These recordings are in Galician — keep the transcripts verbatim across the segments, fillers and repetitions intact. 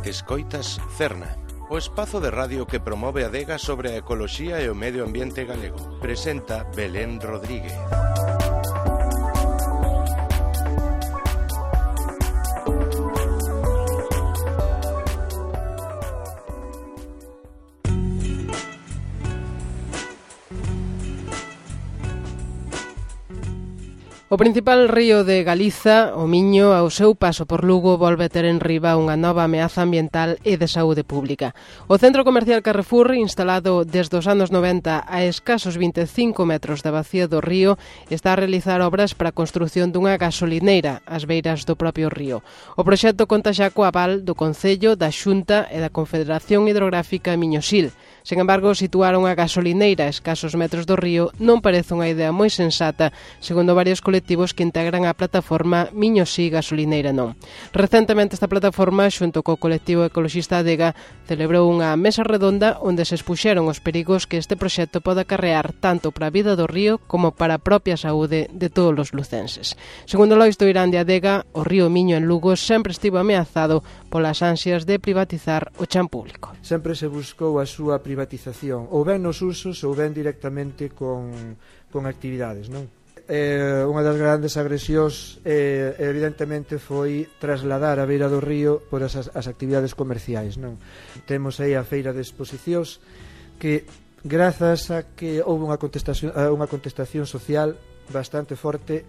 Escoitas Cerna, o espazo de radio que promove a adega sobre a ecoloxía e o medio ambiente galego. Presenta Belén Rodríguez. O principal río de Galiza, o Miño, ao seu paso por Lugo, volve ter en riba unha nova ameaza ambiental e de saúde pública. O centro comercial Carrefour, instalado desde os anos noventa a escasos vinte e cinco metros da bacía do río, está a realizar obras para a construción dunha gasolineira ás beiras do propio río. O proxecto conta xa co aval do Concello, da Xunta e da Confederación Hidrográfica Miño-Sil. Sen embargo, situar unha gasolineira a escasos metros do río non parece unha idea moi sensata, segundo varios colectivos que integran a plataforma Miño Si Gasolineira Non. Recentemente esta plataforma, xunto co colectivo ecoloxista Adega, celebrou unha mesa redonda onde se expuxeron os perigos que este proxecto pode acarrear tanto para a vida do río como para a propia saúde de todos os lucenses. Segundo Lois Doirán de Adega, o río Miño en Lugo sempre estivo ameazado polas ansias de privatizar o chan público. Sempre se buscou a súa privatización, ou ben nos usos ou ben directamente con, con actividades, non? Eh, unha das grandes agresións eh, evidentemente foi trasladar a beira do río por as, as actividades comerciais, non? Temos aí a feira de exposicións que, grazas a que houve unha contestación, unha contestación social bastante forte,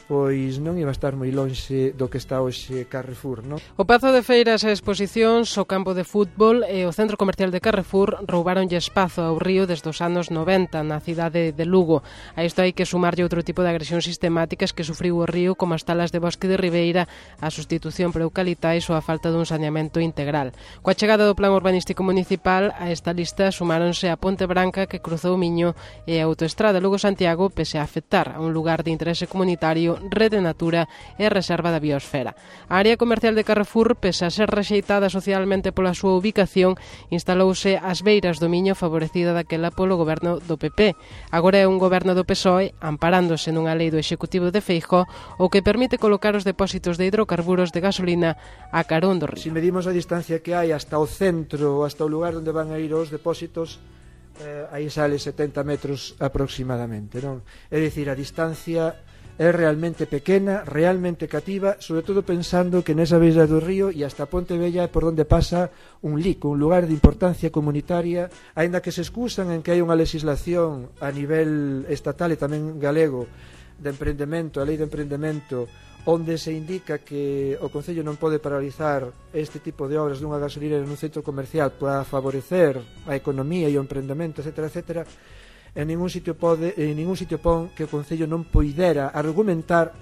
pois non iba a estar moi lonxe do que está hoxe Carrefour, non? O Pazo de Feiras e Exposicións, o campo de fútbol e o centro comercial de Carrefour roubaronlle espazo ao río desde os anos noventa na cidade de Lugo. A isto hai que sumarlle outro tipo de agresións sistemáticas que sufriu o río, como as talas de bosque de ribeira, a sustitución por eucalitais ou a falta dun saneamento integral. Coa chegada do Plan Urbanístico Municipal, a esta lista sumáronse a Ponte Branca que cruzou o Miño e a autoestrada Lugo-Santiago, pese a afectar a un lugar de interese comunitario, rede natura e reserva da biosfera. A área comercial de Carrefour, pese a ser rexeitada socialmente pola súa ubicación, instalouse ás beiras do Miño, favorecida daquela polo goberno do P P. Agora é un goberno do P S O E, amparándose nunha lei do Executivo de Feijóo, o que permite colocar os depósitos de hidrocarburos de gasolina a carón do río. Se medimos a distancia que hai hasta o centro, hasta o lugar onde van a ir os depósitos, eh, aí sale setenta metros aproximadamente, non? É dicir, a distancia é realmente pequena, realmente cativa, sobre todo pensando que nesa beira do río e hasta Ponte Vella é por onde pasa un lico, un lugar de importancia comunitaria, aínda que se excusan en que hai unha legislación a nivel estatal e tamén galego de emprendemento, a lei de emprendemento, onde se indica que o Concello non pode paralizar este tipo de obras dunha gasolinera nun centro comercial para favorecer a economía e o emprendemento, etcétera, etcétera. En ningún sitio pode, en ningún sitio pon que o Concello non poidera argumentar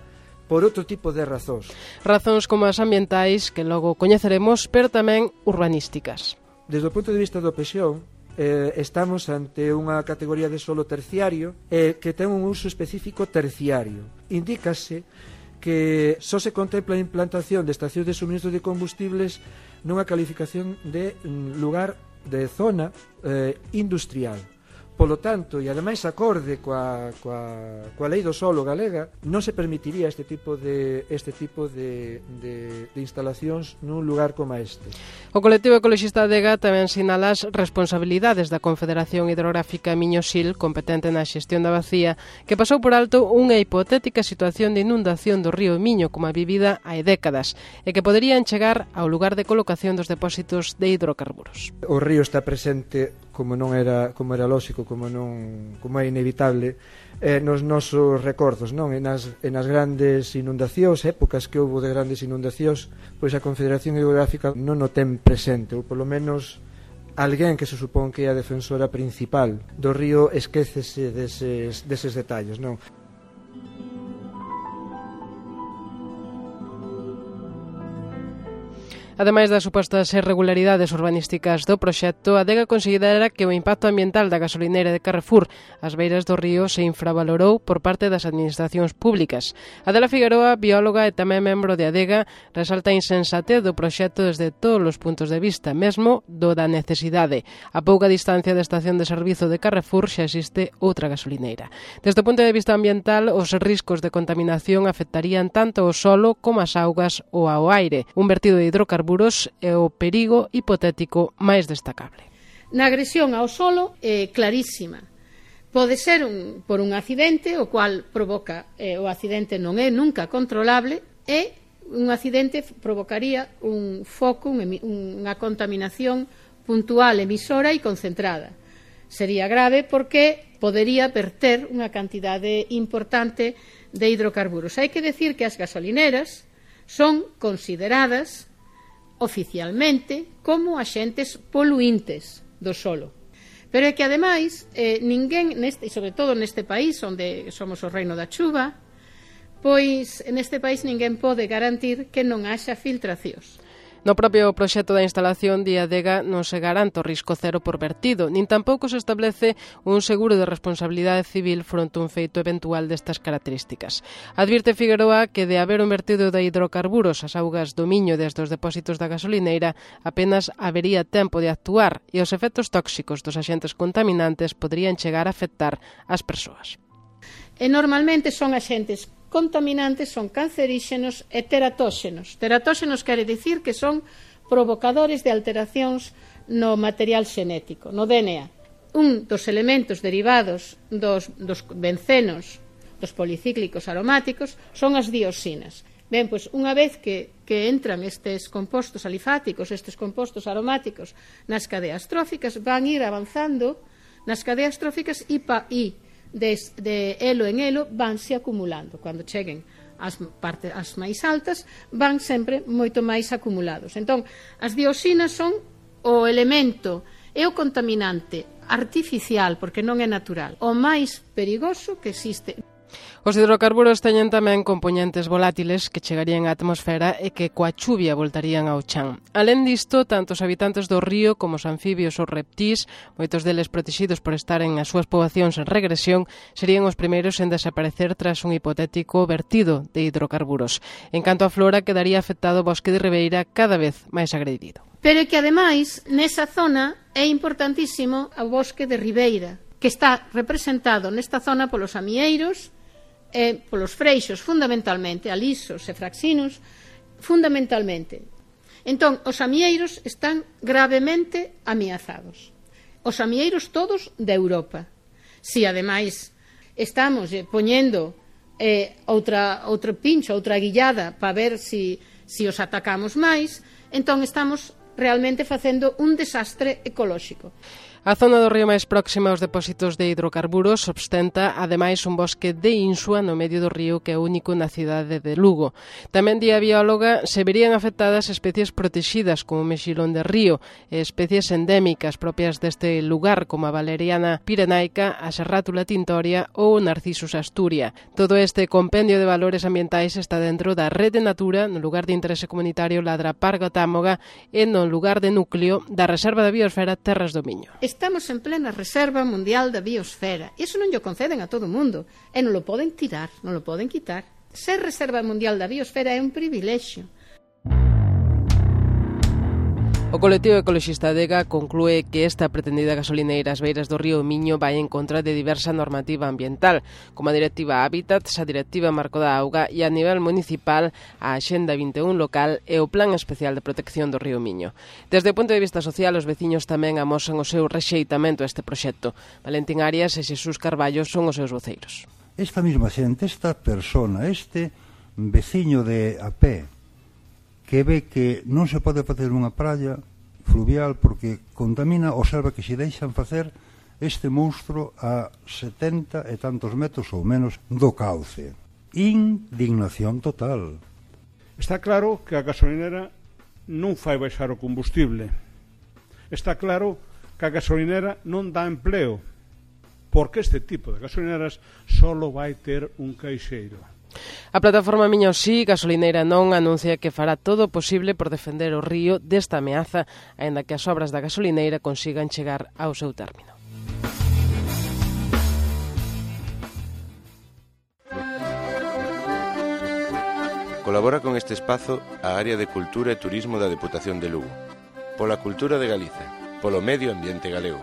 por outro tipo de razóns. Razóns como as ambientais, que logo coñeceremos, pero tamén urbanísticas. Desde o punto de vista do Pexón, eh, estamos ante unha categoría de solo terciario eh, que ten un uso específico terciario. Indícase que só se contempla a implantación de estacións de suministro de combustibles nunha calificación de lugar de zona eh, industrial. Polo tanto, e ademais acorde coa, coa, coa lei do solo galega, non se permitiría este tipo de este tipo de, de, de instalacións nun lugar como este. O colectivo ecoloxista Adega tamén sinala as responsabilidades da Confederación Hidrográfica Miño-Sil, competente na xestión da bacía, que pasou por alto unha hipotética situación de inundación do río Miño como a vivida hai décadas e que poderían chegar ao lugar de colocación dos depósitos de hidrocarburos. O río está presente, como non era como era lóxico, como non como é inevitable, eh, nos nosos recordos, non? E nas, e nas grandes inundacións, épocas que houve de grandes inundacións, pois a Confederación Hidrográfica non o ten presente, ou polo menos alguén que se supón que é a defensora principal do río esquécese deses, deses detalles, non? Ademais das supostas irregularidades urbanísticas do proxecto, a Adega considera que o impacto ambiental da gasolineira de Carrefour ás beiras do río se infravalorou por parte das administracións públicas. Adela Figueroa, bióloga e tamén membro de Adega, resalta a insensatez do proxecto desde todos os puntos de vista, mesmo do da necesidade. A pouca distancia da estación de servizo de Carrefour xa existe outra gasolineira. Desde o punto de vista ambiental, os riscos de contaminación afectarían tanto ao solo como as augas ou ao aire. Un vertido de hidrocarburos hidrocarburos é o perigo hipotético máis destacable. Na agresión ao solo é clarísima. Pode ser un, por un accidente, o cual provoca, eh, o accidente non é nunca controlable, e un accidente provocaría un foco, un, unha contaminación puntual, emisora e concentrada. Sería grave porque podería verter unha cantidade importante de hidrocarburos. Hai que decir que as gasolineras son consideradas oficialmente como axentes poluintes do solo. Pero é que, ademais, eh, ninguén, neste, e sobre todo neste país, onde somos o reino da chuva, pois neste país ninguén pode garantir que non haxa filtracións. No propio proxecto da instalación de Adega non se garante o risco cero por vertido, nin tampouco se establece un seguro de responsabilidade civil fronte a un feito eventual destas características. Advirte Figueroa que de haber un vertido de hidrocarburos ás augas do Miño desde os depósitos da gasolineira, apenas habería tempo de actuar e os efectos tóxicos dos axentes contaminantes poderían chegar a afectar as persoas. E normalmente son axentes contaminantes, son canceríxenos e teratóxenos. Teratóxenos quere dicir que son provocadores de alteracións no material xenético, no D N A. Un dos elementos derivados dos, dos bencenos, dos policíclicos aromáticos, son as dioxinas. Ben, pois, unha vez que, que entran estes compostos alifáticos, estes compostos aromáticos nas cadeas tróficas, van ir avanzando nas cadeas tróficas e, pa, e De, de elo en elo vanse acumulando. Cando cheguen as partes as máis altas, van sempre moito máis acumulados. Entón, as dioxinas son o elemento e o contaminante artificial, porque non é natural, o máis perigoso que existe. Os hidrocarburos teñen tamén compoñentes volátiles que chegarían á atmosfera e que coa chuvia voltarían ao chan. Alén disto, tanto os habitantes do río como os anfibios ou reptís, moitos deles protegidos por estar en as súas poboacións en regresión, serían os primeiros en desaparecer tras un hipotético vertido de hidrocarburos. En canto á flora, quedaría afectado o bosque de ribeira cada vez máis agredido. Pero é que, ademais, nesa zona é importantísimo o bosque de ribeira, que está representado nesta zona polos amieiros, e polos freixos, fundamentalmente, alisos e fraxinos, fundamentalmente. Entón, os amieiros están gravemente ameazados. Os amieiros todos de Europa. Si, ademais, estamos eh, poñendo eh, outra, outra pincho, outra guillada, para ver si, si os atacamos máis, entón estamos realmente facendo un desastre ecolóxico. A zona do río máis próxima aos depósitos de hidrocarburos ostenta, ademais, un bosque de insua no medio do río que é único na cidade de Lugo. Tamén, di a bióloga, se verían afectadas especies protegidas como o mexilón de río e especies endémicas propias deste lugar como a valeriana pirenaica, a serrátula tintoria ou o narcisus asturia. Todo este compendio de valores ambientais está dentro da Rede Natura, no lugar de interese comunitario Ladra Parga Támoga e no lugar de núcleo da Reserva da Biosfera Terras do Miño. Estamos en plena Reserva Mundial da Biosfera. Iso non lle conceden a todo o mundo. E non lo poden tirar, non lo poden quitar. Ser Reserva Mundial da Biosfera é un privilexio. O colectivo ecoloxista Adega conclúe que esta pretendida gasolineira ás beiras do río Miño vai en contra de diversa normativa ambiental, como a Directiva Hábitats, a Directiva Marco da Auga e a nivel municipal a Axenda vinte e un local e o Plan Especial de Protección do río Miño. Desde o punto de vista social, os veciños tamén amosan o seu rexeitamento a este proxecto. Valentín Arias e Xesús Carballo son os seus voceiros. Esta mesma xente, esta persona, este veciño de a pé, que ve que non se pode facer unha praia fluvial porque contamina, observa que se deixan facer este monstro a setenta e tantos metros ou menos do cauce. Indignación total. Está claro que a gasolinera non fai baixar o combustible. Está claro que a gasolinera non dá empleo, porque este tipo de gasolineras solo vai ter un caixeiro. A plataforma Miño Sí, gasolineira non, anuncia que fará todo o posible por defender o río desta ameaza, aínda que as obras da gasolineira consigan chegar ao seu término. Colabora con este espazo a Área de Cultura e Turismo da Deputación de Lugo. Pola cultura de Galiza, polo medio ambiente galego.